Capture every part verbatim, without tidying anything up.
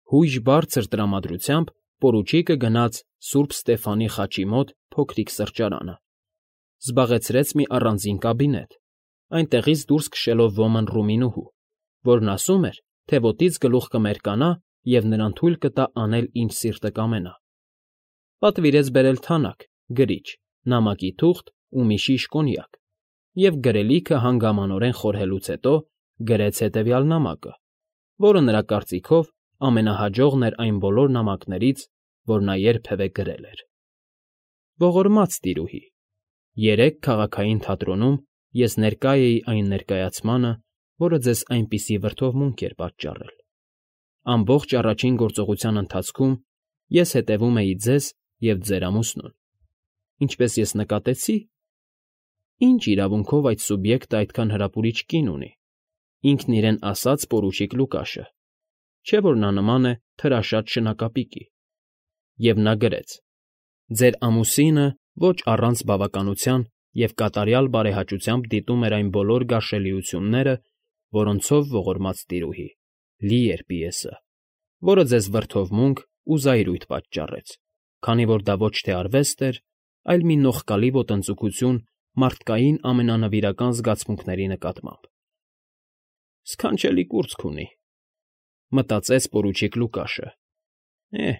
Հույժ բարձր տրամադրությամբ պորուչիկը գնաց սուրբ Ստեֆանի խաչի մոտ փոքրիկ սրճարանը, զբաղեցրեց մի առանձին կաբինետ, այնտեղից դուրս քշելով ոմն Ռումինուհու, որն ասում էր, թե ոտից գլուխ կմերկանա և նրան թույլ կտա անել, ինչ սիրտը կամենա. պատվիրեց բերել թանաք, գրիչ, նամակի թուղթ ու մի շիշ կոնյակ և գրելիքը հանգամանորեն խորհելուց հետո գրեց հետևյալ նամակը, որը նրա կարծիքով ամենահաջողն էր այն բոլոր նամակներից, որ նա երբևէ գրել էր. Ողորմած տիրուհի, երեկ քաղաքային թատրոնում ես ներկա էի այն ներկայացմանը, որը ձեզ այնպիսի վրդովմունք էր պատճառել. ամբողջ առաջին գործողության ընթացքում ես հետևում էի ձեզ և ձեր ամուսնուն, ինչպես ես նկատեցի, ինչ իրավունքով այդ սուբյեկտը այդքան հրապուրիչ կին ունի, ինքն իրեն ասած պորուչիկ Լուկաշը, չէ՞ որ նա նման է թրաշատ շնակապիկի, և նա գրեց. ձեր ամուսինը ոչ առանց բավականության և կատարյալ բարեհաճությամբ դիտում էր այն բոլոր գարշելիությունները, որոնցով, ողորմած տիրուհի, լի էր պիեսը, որը ձեզ վրդովմունք ու զայրույթ պատճառեց, քանի որ դա ոչ թե արվեստ էր, այլ մի նողկալի ոտնձգություն մարդկային ամենանվիրական զգացմունքների նկատմամբ։ «Սքանչելի կուրծք ունի», մտածեց պորուչիկ Լուկաշը, «էհ,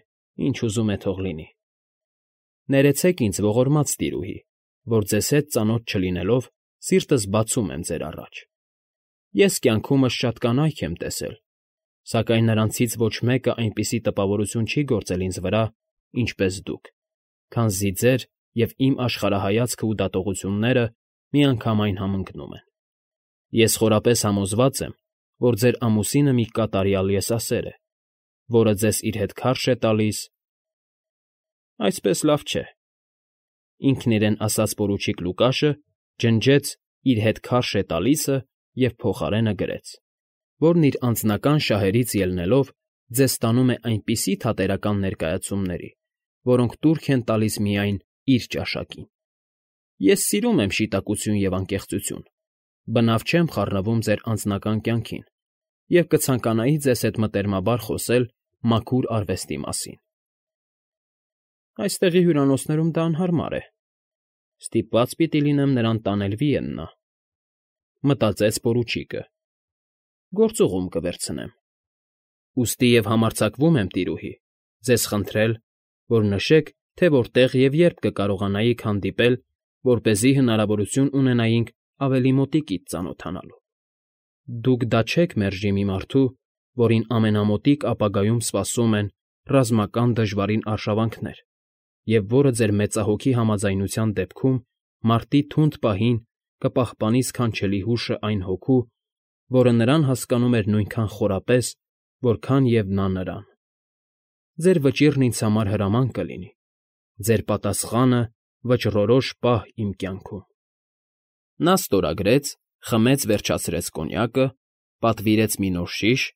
ինչ ուզում է թող լինի։ Ներեցեք ինձ, ողորմած տիրուհի, որ ձեզ հետ ծանոթ չլինելով սիրտս բացում եմ ձեր առաջ. ես կյանքումս շատ կանայք եմ տեսել, սակայն նրանցից ոչ մեկը այնպիսի տպավորություն չի գործել ինձ վրա, ինչպես դուք, քանզի ձեր և իմ աշխարհայացքը ու դատողությունները միանգամայն համընկնում են։ Ես խորապես համոզված եմ, որ ձեր ամուսինը մի կատարյալ եսասեր է, որը ձեզ իր հետ քարշ է տալիս… Այսպես լավ չէ, ինքն իրեն ասաց պորուչիկ Լուկաշը, ջնջեց իր հետ քարշ է տալիսը և փոխարենը գրեց, որն իր անձնական շահերից ելնելով ձեզ տանում է այնպիսի թատերական ներկայացումների, որոնք տուրք են տալիս միայն իր ճաշակին։ Ես սիրում եմ շիտակություն և անկեղծություն, բնավ չեմ խառնվում ձեր անձնական կյանքին և կցանկանայի ձեզ հետ մտերմաբար խոսել մաքուր արվեստի մասին։ Այստեղի հյուրանոցներում դա անհարմար է, ստիպված պիտի լինեմ նրան տանել Վիեննա, մտածեց պորուչիկը, գործուղում կվերցնեմ։ Ուստի և համարձակվում եմ, տիրուհի, ձեզ խնդրել, որ նշեք, թե որտեղ և երբ կկարողանայիք հանդիպել, որպեսզի հնարավորություն ունենայինք ավելի մոտիկից ծանոթանալու։ Դուք դա չեք մերժի մի մարդու, որին ամենամոտիկ ապագայում սպասում են ռազմական դժվարին արշավանքներ, և որը ձեր մեծահոգի համաձայնության դեպքում մարտի թունդ պահին կպահպանի սքանչելի հուշը այն հոգու, որը նրան հասկանում էր նույնքան խորապես, որքան և նա նրան։ Ձեր վճիռն ինձ համար հրաման կլինի, ձեր պատասխանը վճռորոշ պահ իմ կյանքում։ Նա ստորագրեց, խմեց վերջացրեց կոնյակը, պատվիրեց մի նոր շիշ,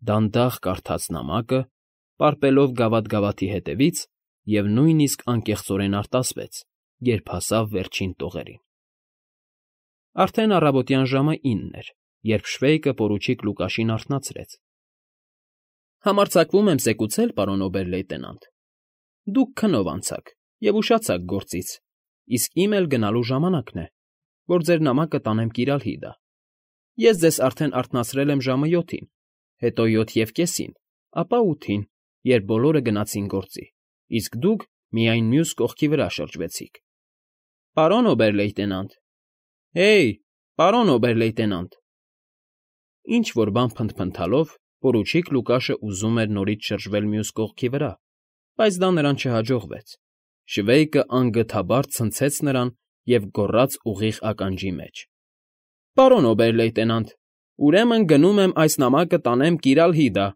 դանդաղ կարդաց նամակը, պարպելով գավաթ֊գավաթի հետևից և նույնիսկ անկեղծորեն արտասվեց, երբ հասավ վերջին տողերին։ Արդեն առավոտյան ժամը ինն էր, երբ Շվեյկը պորուչիկ Լուկաշին արթնացրեց։ Համարձակվում եմ զեկուցել, պարոն օբեր֊լեյտենանտ, դուք քնով անցաք և ուշացաք գործից, իսկ իմ էլ գնալու ժամանակն է, որ ձեր նամակը տանեմ Կիրալհիդա։ Ես ձեզ արդեն արթնացրել եմ ժամը յոթին, հետո յոթ և կեսին, ապա ութին, երբ բոլորը գնացին գործի, իսկ դուք միայն մյուս կողքի վրա շրջվեցիք։ Պարոն օբեր֊լեյտենանտ… Հե՜յ, պարոն օբեր֊լեյտենանտ… Ինչ֊որ բան փնթփնթալով պորուչիկ Լուկաշը ուզում էր նորից շրջվել մյուս կողքի վրա, բայց դա նրան չհաջողվեց։ Շվեյկը անգթաբար ցնցեց նրան և գոռաց ուղիղ ականջի մեջ. Պարոն օբեր֊լեյտենանտ, ուրեմն գնում եմ այս նամակը տանեմ Կիրալհիդա։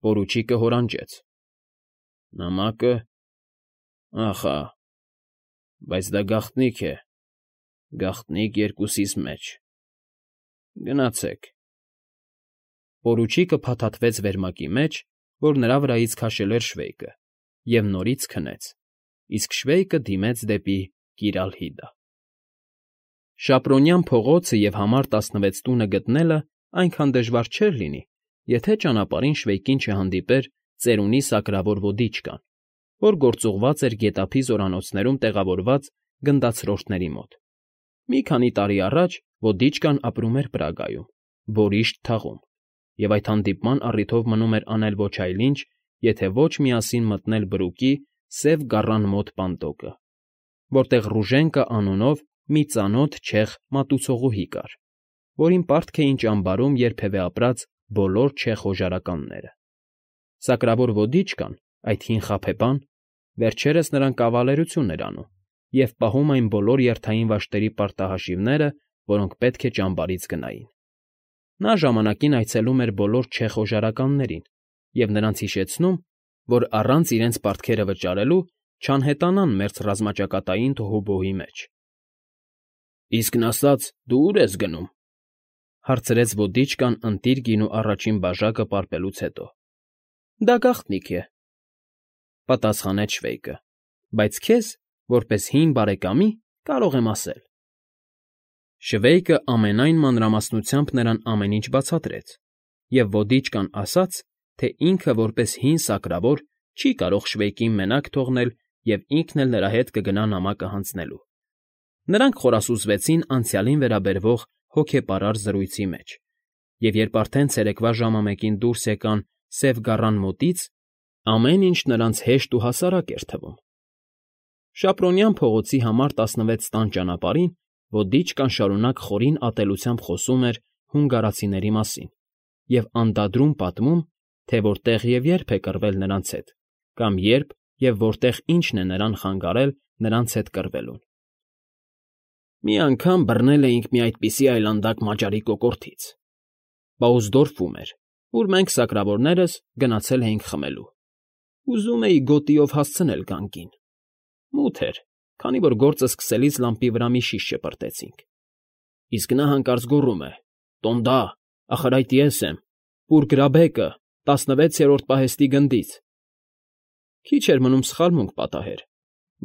Պորուչիկը հորանջեց. Նամակը… Ախա… Բայց դա գաղտնիք է, գաղտնիք երկուսիս մեջ… Գնացեք… Պորուչիկը փաթաթվեց վերմակի մեջ, որ նրա վրայից քաշել էր Շվեյկը, և նորից քնեց, իսկ Շվեյկը դիմեց դեպի Կիրալհիդա։ Շապրոնյան փողոցը և համար տասնվեց տունը գտնելը այնքան դժվար չէր լինի, եթե ճանապարհին Շվեյկին չհանդիպեր ծերունի սակրավոր ոդիչկան, որ գործուղված էր գետափի զորանոցներում տեղավորված գնդացրորդների մոտ։ Մի քանի տարի առաջ ոդիչկան ապրում էր Պրագայում, Բորիշտ թաղում, և այդ հանդիպման առիթով մնում էր անել ոչ այլ ինչ, եթե ոչ միասին մտնել Բրուկի Սև Գառան մոտ Պանդոկը, որտեղ Ռուժենկա անունով մի ծանոթ չեխ մատուցողուհի կար, որին պարտք էին ճամբարում երբևէ ապրած բոլոր չեխ օժարականները։ Սակրավոր ոդիչկան, այդ հին խաբեբան, վերջերս նրան կավալերություն էր անում և պահում այն բոլոր երթային վաշտերի պարտահաշիվները, որոնք պետք է ճամբարից գնային։ Նա ժամանակին այցելում էր բոլոր չեխ օժարականներին և նրանց հիշեցնում, որ առանց իրենց պարտքերը վճարելու չանհետանան մերձ ռազմաճակատային տոհուբոհի մեջ։ ֊ Իսկն ասած, դու ո՞ւր ես գնում,֊ հարցրեց ոդիչկան ընտիր գինու առաջին բաժակը պարպելուց հետո։ ֊ Դա գաղտնիք է,֊ պատասխանեց Շվեյկը,֊ բայց քեզ, որպես հին բարեկամի, կարող եմ ասել։ Շվեյկը ամենայն մանրամասնությամբ նրան ամեն ինչ բացատրեց, և ոդիչկան ասաց, թե ինքը որպես հին սակրավոր չի կարող Շվեյկին մենակ թողնել և ինքն էլ նրա հետ կգնա նամակը հանձնելու։ Նրանք խորասուզվեցին անցյալին վերաբերվող հոգեպարար զրույցի մեջ, և երբ արդեն ցերեկվա ժամը մեկին դուրս եկան Սև Գառան մոտից, ամեն ինչ նրանց հեշտ ու հասարակ էր թվում։ Շապրոնյան փողոցի համար տասնվեց տան ճանապարհին ոդիչկան շարունակ խորին ատելությամբ խոսում էր հունգարացիների մասին և անդադրում պատմում, թե որտեղ և երբ է կռվել նրանց հետ, կամ երբ և որտեղ ինչն է նրան խանգարել նրանց հետ կռվելուն։ «Մի անգամ բռնել էինք մի այդպիսի այլանդակ մաճարի կոկորդից. Պաուզդորֆում էր, ուր մենք սակրավորներս գնացել էինք խմելու։ Ուզում էի գոտիով հասցնել գանգին։ Մութ էր, քանի որ գործը սկսելիս լամպի վրա մի շիշ ճպրտեցինք։ Իսկ նա հանկարծ գոռում է. «Տոնդա, ախր այդ ես եմ, պուրգրաբեկը, տասնվեցերորդ պահեստի գնդից»։ Քիչ էր մնում սխալմունք պատահեր,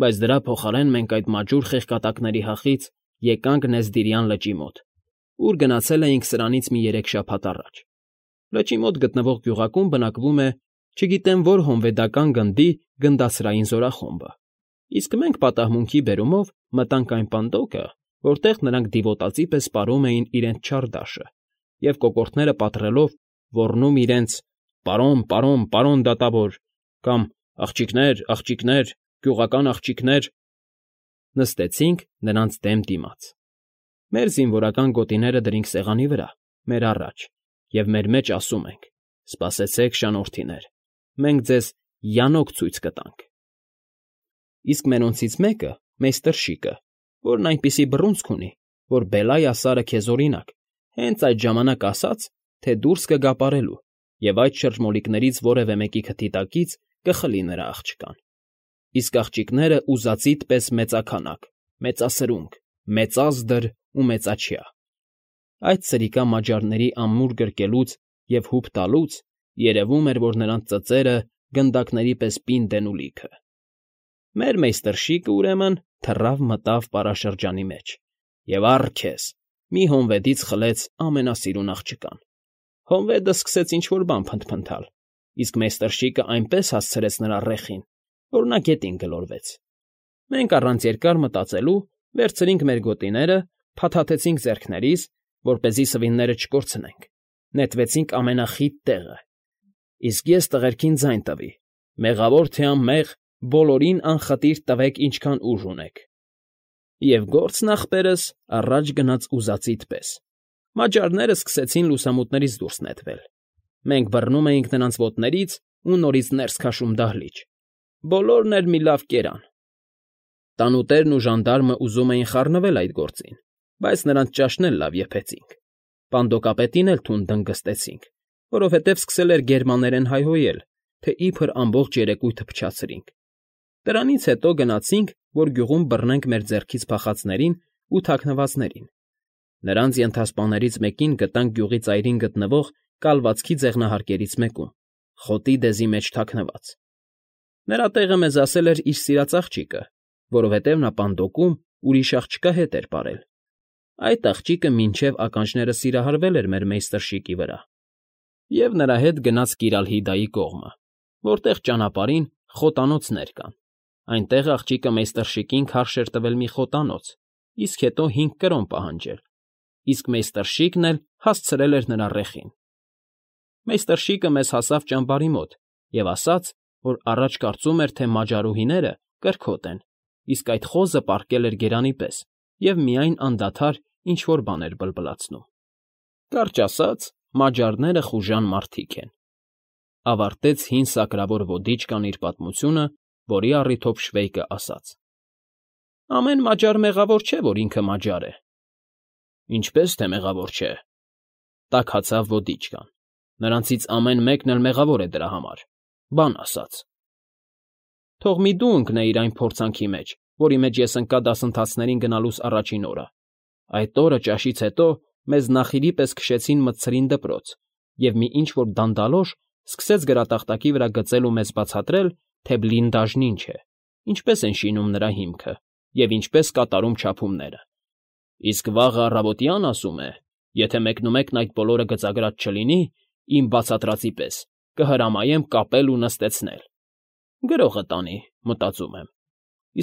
բայց դրա փոխարեն մենք այդ մաջուր խեղկատակների հախից եկանք Նեզդիրյան լճի մոտ, ուր գնացել էինք սրանից մի երեք շաբաթ առաջ։ Լճի մոտ գտնվող գյուղակում բնակվում է չգիտեմ որ հոնվեդական գնդի գնդացրային զորախումբը, իսկ մենք պատահմունքի բերումով մտանք այն պանդոկը, որտեղ նրանք դիվոտածի պես պարում էին իրենց չարդաշը և կոկորդները պատռելով ոռնում իրենց «Պարոն, պարոն, պարոն դատավոր» կամ «Աղջիկներ, աղջիկներ, գյուղական աղջիկներ»։ Նստեցինք նրանց դեմ դիմաց։ Մեր զինվորական գոտիները դրինք սեղանի վրա, մեր առաջ, և մեր մեջ ասում ենք. «Սպասեցեք, շանորդիներ, մենք ձեզ յանոկ ցույց կտանք»։ Իսկ մերոնցից մեկը, մեյստր Շիկը, որն այնպիսի բռունցք ունի, որ Բելայա Սարը քեզ օրինակ, հենց այդ ժամանակ ասաց, թե դուրս կգա պարելու, և այդ շրջմոլիկներից որևէ մեկի քթի տակից կխլի նրա աղջկան։ Իսկ աղջիկները ուզածիդ պես մեծաքանակ, մեծասրունք, մեծազդր ու մեծաչյա։ Այդ սրիկա մաջարների ամուր գրկելուց և հուպ տալուց երևում էր, որ նրանց ծծերը գնդակների պես պինդ են ու լիքը։ Մեր մեյստր Շիկը, ուրեմն, թռավ մտավ պարաշրջանի մեջ և, առ քեզ, մի հոնվետից խլեց ամենասիրուն աղջկան։ Հոնվետը սկսեց ինչ֊որ բան փնթփնթալ, իսկ մեյստր Շիկը այնպես հասցրեց նրա ռեխին, որ նա գետին գլորվեց։ Մենք առանց երկար մտածելու վերցրինք մեր գոտիները, փաթաթեցինք ձեռքներիս, որպեսզի սվինները չկորցնենք, նետվեցինք ամենախիտ տեղը, իսկ ես տղերքին ձայն տվի. «Մեղավոր թե անմեղ, բոլորին անխտիր տվեք ինչքան ուժ ունեք»։ Եվ գործն, ախպերս, առաջ գնաց ուզածիդ պես։ Մաջարները սկսեցին լուսամուտներից դուրս նետվել։ Մենք բռնում էինք նրանց ոտներից ու նորից ներս քաշում դահլիճ։ Բոլորն էլ մի լավ կերան։ Տանուտերն ու ժանդարմը ուզում էին խառնվել այդ գործին, բայց նրանց ճաշն էլ լավ եփեցինք։ Պանդոկապետին էլ թուն դնգստեցինք, որովհետև սկսել էր գերմաներեն հայհոյել, թե իբր ամբողջ երեկույթը փչացրինք։ Դրանից հետո գնացինք, որ գյուղում բռնենք մեր ձեռքից փախածներին ու թաքնվածներին։ Նրանց ենթասպաներից մեկին գտանք գյուղի ծայրին գտնվող կալվածքի ձեղնահարկերից մեկում, խոտի դեզի մեջ թաքնված։ Նրա տեղը մեզ ասել էր իր սիրած աղջիկը, որովհետև նա Պանդոկում ուրիշ աղջկա հետ էր պարել։ Այդ աղջիկը մինչև ականջները սիրահարվել էր մեր մեյստր Շիկի վրա։ և նրա հետ գնաց Կիրալհիդայի կողմը, որտեղ ճանապարհին խոտանոցներ կան. այնտեղ աղջիկը մեյստրշիկին քարշ էր տվել մի խոտանոց, իսկ հետո հինգ կրոն պահանջել, իսկ մեյստրշիկն էլ հասցրել էր նրա ռեխին։ Մեյստրշիկը մեզ հասավ ճամբարի մոտ և ասաց, որ առաջ կարծում էր, թե մաջարուհիները կրքոտ են, իսկ այդ խոզը պառկել էր գերանի պես և միայն անդադար ինչ֊որ բան էր բլբլացնում։ Կարճ ասած, մաջարները խուժան մարդիկ են,֊ ավարտեց հին սակրավոր ոդիչկան իր պատմությունը, որի առիթով Շվեյկը ասաց։ Ամեն մաջար մեղավոր չէ, որ ինքը մաջար է։ Ինչպես թե մեղավոր չէ,֊ տաքացավ ոդիչկան։ Նրանցից ամեն մեկն էլ մեղավոր է դրա համար, բան ասած։ Թող մի դու ընկնեիր այն փորձանքի մեջ, որի մեջ ես ընկա դասընթացներին գնալուս առաջին օրը։ Այդ օրը ճաշից հետո մեզ նախիրի պես քշեցին մտցրին դպրոց, և մի ինչ֊որ դանդալոշ սկսեց գրատախտակի վրա գծել ու մեզ բացատրել, թե բլինդաժն ինչ է, ինչպես են շինում նրա հիմքը և ինչպես կատարում չափումները։ Իսկ վաղը առավոտյան, ասում է, եթե մեկնումեկն այդ բոլորը գծագրած չլինի, իմ բացատրածի պես, կհրամայեմ կապել ու նստեցնել։ Գրողը տանի, մտածում եմ։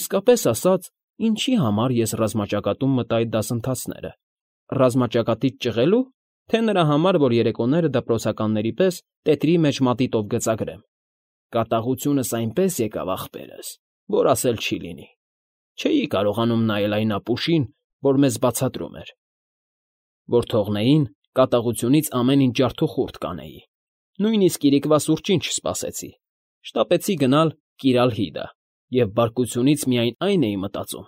Իսկապես ասած, ինչի համար ես ռազմաճակատում մտա այդ դասընթացները։ Ռազմաճակատից ճղելո՞ւ, թե նրա համար, որ երեկոները դպրոցականների պես տետրի մեջ մատիտով գծագրեմ։ Կատաղությունս այնպես եկավ, ախպերս, որ ասել չի լինի։ Չէի կարողանում նայել այն ապուշին, որ մեզ բացատրում էր։ Որ թողնեին, կատաղությունից ամեն ինչ ջարդուխուրդ կանեի։ Նույնիսկ իրիկվա սուրճին չսպասեցի։ Շտապեցի գնալ Կիրալհիդա և բարկությունից միայն այն էի մտածում,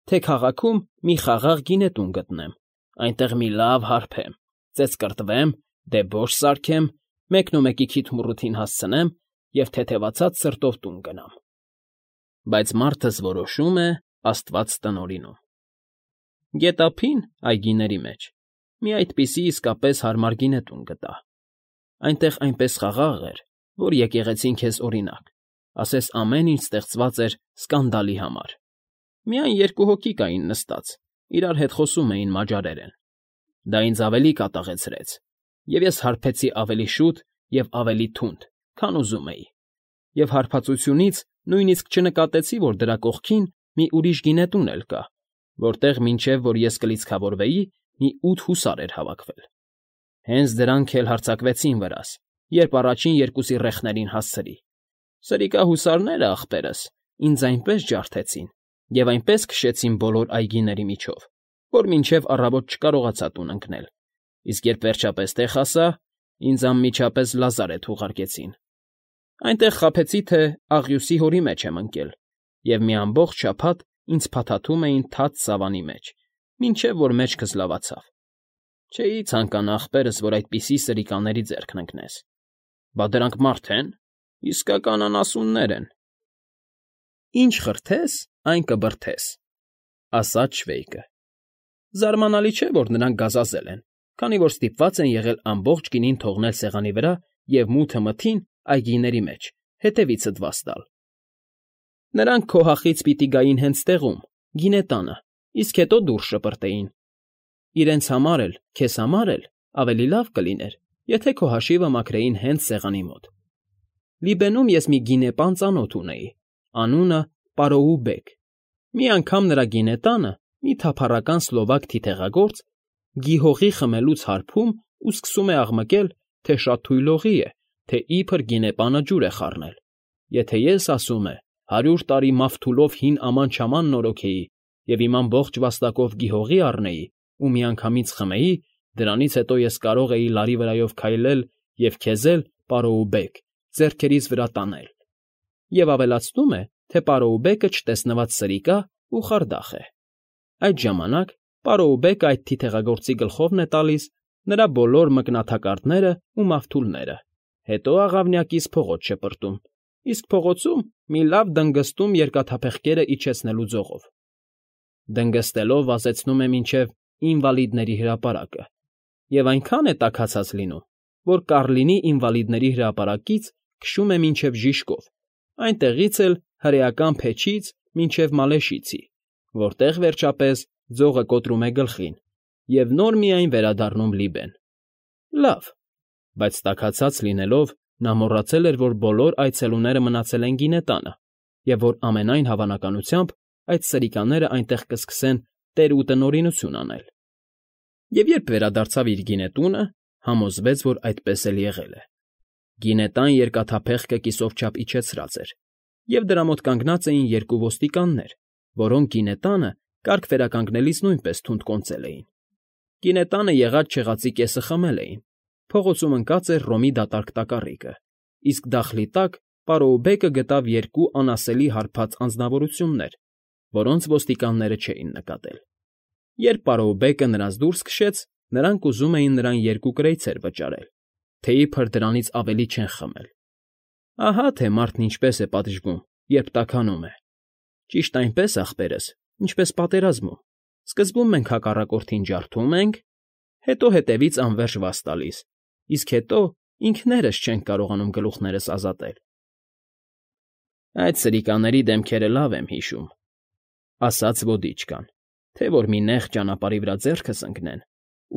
թե քաղաքում մի խաղաղ գինետուն գտնեմ, այնտեղ մի լավ հարբեմ, ծեծկռտվեմ, դեբոշ սարքեմ, մեկնումեկի քիթմռութին հասցնեմ և թեթևացած սրտով տուն գնամ։ Բայց մարդս որոշում է, Աստված տնօրինում։ Գետափին, այգիների մեջ, մի այդպիսի իսկապես հարմար գինետուն գտա։ Այնտեղ այնպես խաղաղ էր, որ եկեղեցին քեզ օրինակ, ասես ամեն ինչ ստեղծված էր սկանդալի համար։ Միայն երկու հոգի կային նստած, իրար հետ խոսում էին մաջարերեն։ Դա ինձ ավելի կատաղեցրեց, և ես հարբեցի ավելի շուտ և ավելի թունդ, քան ուզում էի, և հարբածությունից նույնիսկ չնկատեցի, որ դրա կողքին մի ուրիշ գինետուն էլ կա, որտեղ մինչև որ ես կլիցքավորվեի, մի ութ հուսար էր հավաքվել։ Հենց դրանք էլ հարձակվեցին վրաս, երբ առաջին երկուսի ռեխներին հասցրի։ Սրիկա հուսարները, ախպերս, ինձ այնպես ջարդեցին և այնպես քշեցին բոլոր այգիների միջով, որ մինչև առավոտ չկարողացա տուն ընկնել, իսկ երբ վերջապես տեղ հասա, ինձ անմիջապես լազարեթ ուղարկեցին։ Այնտեղ խաբեցի, թե աղյուսի հորի մեջ եմ ընկել, և մի ամբողջ շաբաթ ինձ փաթաթում էին թաց սավանի մեջ, մինչև որ մեջքս լավացավ։ Չէի ցանկանա, ախպերս, որ այդպիսի սրիկաների ձեռքն ընկնես։ Բա դրանք մարդ են, իսկական անասուններ են։ Ինչ խրթես, այն կբրդես,֊ ասաց Շվեյկը։ Զարմանալի չէ, որ նրանք գազազել են, քանի որ ստիպված են եղել ամբողջ գինին թողնել սեղանի վրա և մութը մթին այգիների մեջ, հետևիցդ վաս տալ։ Նրանք քո հախից պիտի գային հենց տեղում, գինետանը, իսկ հետո դուրս շպրտեին։ Իրենց համար էլ, քեզ համար էլ ավելի լավ կլիներ, եթե քո հաշիվը մաքրեին հենց սեղանի մոտ։ Լիբենում ես մի գինեպան ծանոթ ունեի, անունը Պարոուբեկ։ Մի անգամ նրա գինետանը մի թափառական սլովակ թիթեղագործ գիհողի խմելուց հարբում ու սկսում է աղմկել, թե շատ թույլողի է, թե իբր գինեպանը ջուր է խառնել։ Եթե ես, ասում է, հարյուր տարի մավթուլով հին աման֊չաման նորոգեի և իմ ամբողջ վաստակով գիհողի առնեի ու միանգամից խմեի, դրանից հետո ես կարող էի լարի վրայով քայլել և քեզ էլ, Պարոուբեկ, ձեռքերիս վրա տանել։ Եվ ավելացնում է, թե Պարոուբեկը չտեսնված սրիկա ու խարդախ է։ Այդ ժամանակ Պարոուբեկը այդ թիթեղագործի գլխովն է տալիս նրա բոլոր մկնաթակարդները ու մավթուլները, հետո աղավնյակից փողոց շպրտում, իսկ փողոցում մի լավ դնգստում երկաթափեղկերը իջեցնելու ձողով։ Դնգստելով վազեցնում է մինչև ինվալիդների հրապարակը, և այնքան է տաքացած լինում, որ Կառլինի ինվալիդների հրապարակից քշում է մինչև Ժիշկով, այնտեղից էլ հրեական փեչից մինչև Մալեշիցի, որտեղ, վերջապես, ձողը կոտրում է գլխին, և նոր միայն վերադառնում Լիբեն։ Լավ, բայց տաքացած լինելով նա մոռացել էր, որ բոլոր այցելուները մնացել են գինետանը և որ ամենայն հավանականությամբ այդ սրիկաներն այնտեղ կսկսեն տեր ու տնօրինություն անել։ Եվ երբ վերադարձավ իր գինետունը, համոզվեց, որ այդպես էլ եղել է։ Գինետան երկաթափեղկը կիսով չափ իջեցրած էր, և դրա մոտ կանգնած էին երկու ոստիկաններ, որոնք գինետանը կարգ վերականգնելիս նույնպես թունդ կոնծել էին։ Գինետանը եղած֊չեղածի կեսը խմել էին, փողոցում ընկած էր Ռոմի դատարկ տակառիկը, իսկ դախլի տակ պարոուբեկը գտավ երկու անասելի հարբած անձնավորություններ, որոնց ոստիկանները չէին նկատել։ Երբ պարոուբեկը նրանց դուրս քշեց, նրանք ուզում էին նրան երկու կրեյցեր վճարել, թե իբր դրանից ավելի չեն խմել։ Ահա թե մարդն ինչպես է պատժվում, երբ տաքանում է։ Ճիշտ այնպես, ախպերս, ինչպես պատերազմում. սկզբում մենք հակառակորդին ջարդում ենք, հետո հետևից անվերջ վազ տալիս, իսկ հետո ինքներս չենք կարողանում գլուխներս ազատել։ Այդ սրիկաների դեմքերը լավ եմ հիշում, ասաց ոդիչկան, թե որ մի նեղ ճանապարհի վրա ձեռքս ընկնեն,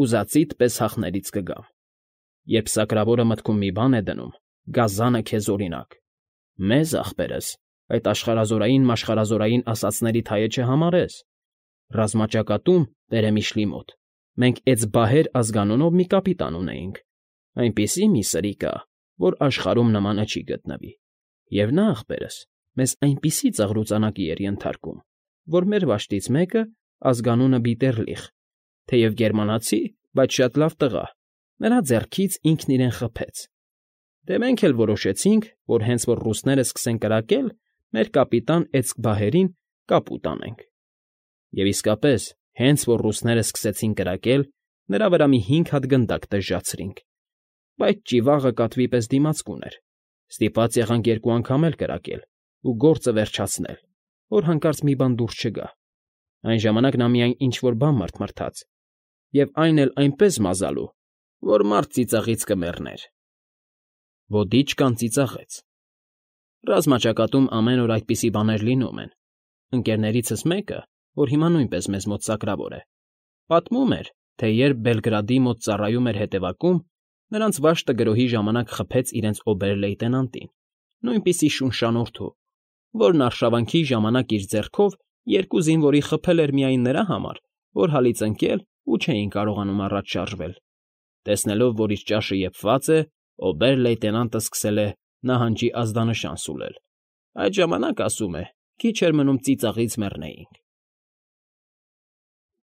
ուզածիդ պես հախներից կգամ։ Երբ սակրավորը մտքում մի բան է դնում, գազանը քեզ օրինակ։ Մեզ, ախպերս, այդ աշխարհազորային-մաշխարհազորային ասածների թայը չհամարես։ Ռազմաճակատում, Տերեմիշլի մոտ, մենք Էծբահեր ազգանունով մի կապիտան ունեինք, այնպիսի մի սրիկա, որ աշխարհում նմանը չի գտնվի, և նա, ախպերս, մեզ այնպիսի ծաղրուծանակի էր ենթարկում, որ մեր վաշտից մեկը, ազգանունը Բիտեռլիխ, թեև գերմանացի, բայց շատ լավ տղա, նրա ձեռքից ինքն իրեն խփեց։ Դե մենք էլ որոշեցինք, որ հենց որ ռուսները սկսեն կրակել, մեր կապիտան Էծբահերին կապ ուտանենք։ Եվ իսկապես, հենց որ ռուսները սկսեցին կրակել, նրա վրա մի հինգ հատ գնդակ տժժացրինք, բայց ճիվաղը կատվի պես դիմացկուն էր, ստիպված եղանք երկու անգամ էլ կրակել ու գործը վերջացնել, որ հանկարծ մի բան դուրս չգա։ Այն ժամանակ նա միայն ինչ֊որ բան մռթմռթաց, և այն էլ այնպես մազալու, որ մարդ ծիծաղից կմեռներ։ Ոդիչկան ծիծաղեց։ Ռազմաճակատում ամեն օր այդպիսի բաներ լինում են։ Ընկերներիցս մեկը, որ հիմա նույնպես մեզ մոտ սակրավոր է, պատմում էր, թե երբ Բելգրադի մոտ ծառայում էր հետևակում, նրանց վաշտը գրոհի ժամանակ խփեց իրենց օբեր֊լեյտենանտին, նույնպիսի շունշանոթու, որն արշավանքի ժամանակ իր ձեռքով երկու զինվորի խփել էր միայն նրա համար, որ հալից ընկել ու չէին կարողանում առաջ շարժվել։ Տեսնելով, որ իր ճաշը եփված է, օբեր֊լեյտենանտը սկսել է նահանջի ազդանշան սուլել։ Այդ ժամանակ, ասում է, քիչ էր մնում ծիծաղից մեռնեինք։